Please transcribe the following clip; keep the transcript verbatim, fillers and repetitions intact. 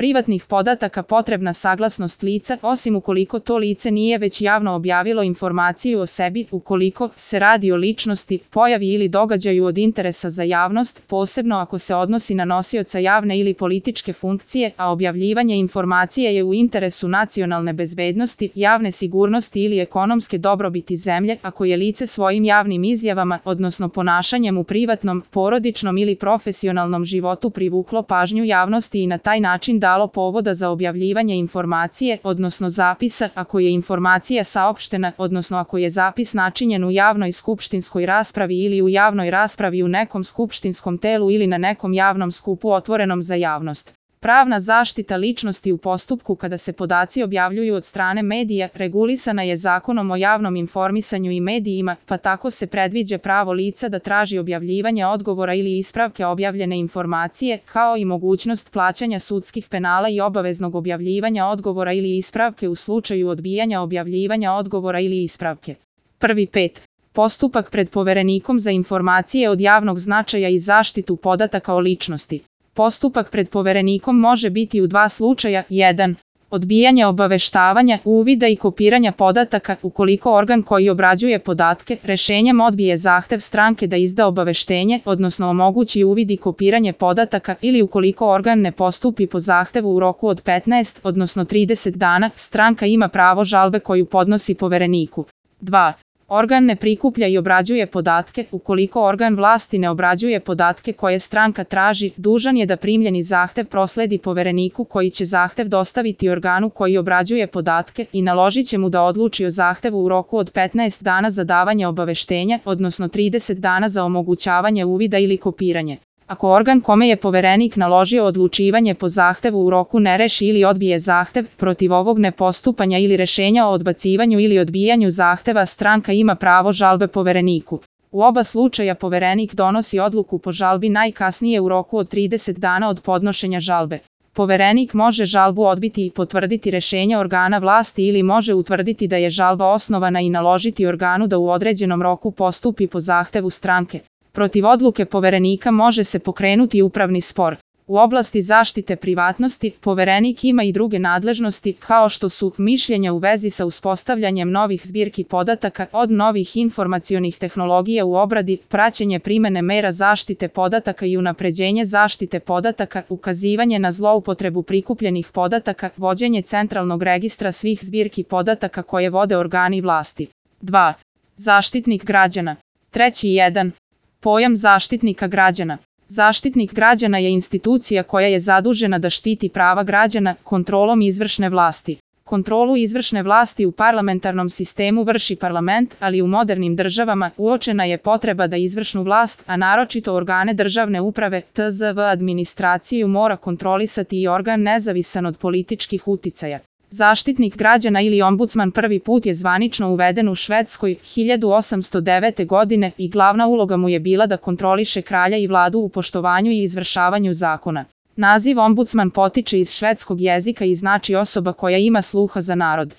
privatnih podataka potrebna saglasnost lica, osim ukoliko to lice nije već javno objavilo informaciju o sebi, ukoliko se radi o ličnosti, pojavi ili događaju od interesa za javnost, posebno ako se odnosi na nosioca javne ili političke funkcije, a objavljivanje informacije je u interesu nacionalne bezbednosti, javne sigurnosti ili ekonomske dobrobiti zemlje, ako je lice svojim javnim izjavama, odnosno ponašanjem u privatnom, porodičnom ili profesionalnom životu privuklo pažnju javnosti i na taj način dalo povoda za objavljivanje informacije, odnosno zapisa, ako je informacija saopštena, odnosno ako je zapis načinjen u javnoj skupštinskoj raspravi ili u javnoj raspravi u nekom skupštinskom telu ili na nekom javnom skupu otvorenom za javnost. Pravna zaštita ličnosti u postupku kada se podaci objavljuju od strane medija regulisana je Zakonom o javnom informisanju i medijima, pa tako se predviđa pravo lica da traži objavljivanje odgovora ili ispravke objavljene informacije, kao i mogućnost plaćanja sudskih penala i obaveznog objavljivanja odgovora ili ispravke u slučaju odbijanja objavljivanja odgovora ili ispravke. Prvi pet. Postupak pred Poverenikom za informacije od javnog značaja i zaštitu podataka o ličnosti. Postupak pred Poverenikom može biti u dva slučaja. jedan. Odbijanje obaveštavanja, uvida i kopiranja podataka, ukoliko organ koji obrađuje podatke rešenjem odbije zahtev stranke da izda obaveštenje, odnosno omogući uvid i kopiranje podataka, ili ukoliko organ ne postupi po zahtevu u roku od petnaest, odnosno trideset dana, stranka ima pravo žalbe koju podnosi Povereniku. dva. Organ ne prikuplja i obrađuje podatke, ukoliko organ vlasti ne obrađuje podatke koje stranka traži, dužan je da primljeni zahtev prosledi Povereniku koji će zahtev dostaviti organu koji obrađuje podatke i naložit će mu da odluči o zahtevu u roku od petnaest dana za davanje obaveštenja, odnosno trideset dana za omogućavanje uvida ili kopiranje. Ako organ kome je Poverenik naložio odlučivanje po zahtevu u roku ne reši ili odbije zahtev, protiv ovog nepostupanja ili rešenja o odbacivanju ili odbijanju zahteva stranka ima pravo žalbe Povereniku. U oba slučaja Poverenik donosi odluku po žalbi najkasnije u roku od trideset dana od podnošenja žalbe. Poverenik može žalbu odbiti i potvrditi rešenje organa vlasti ili može utvrditi da je žalba osnovana i naložiti organu da u određenom roku postupi po zahtevu stranke. Protiv odluke Poverenika može se pokrenuti upravni spor. U oblasti zaštite privatnosti, Poverenik ima i druge nadležnosti, kao što su mišljenja u vezi sa uspostavljanjem novih zbirki podataka, od novih informacionih tehnologija u obradi, praćenje primene mera zaštite podataka i unapređenje zaštite podataka, ukazivanje na zloupotrebu prikupljenih podataka, vođenje centralnog registra svih zbirki podataka koje vode organi vlasti. dva. Zaštitnik građana. Treći jedan. Pojam Zaštitnika građana. Zaštitnik građana je institucija koja je zadužena da štiti prava građana kontrolom izvršne vlasti. Kontrolu izvršne vlasti u parlamentarnom sistemu vrši parlament, ali u modernim državama uočena je potreba da izvršnu vlast, a naročito organe državne uprave, T Z V administraciju mora kontrolisati i organ nezavisan od političkih uticaja. Zaštitnik građana ili ombudsman prvi put je zvanično uveden u Švedskoj hiljadu osamsto devete. godine i glavna uloga mu je bila da kontroliše kralja i vladu u poštovanju i izvršavanju zakona. Naziv ombudsman potiče iz švedskog jezika i znači osoba koja ima sluha za narod.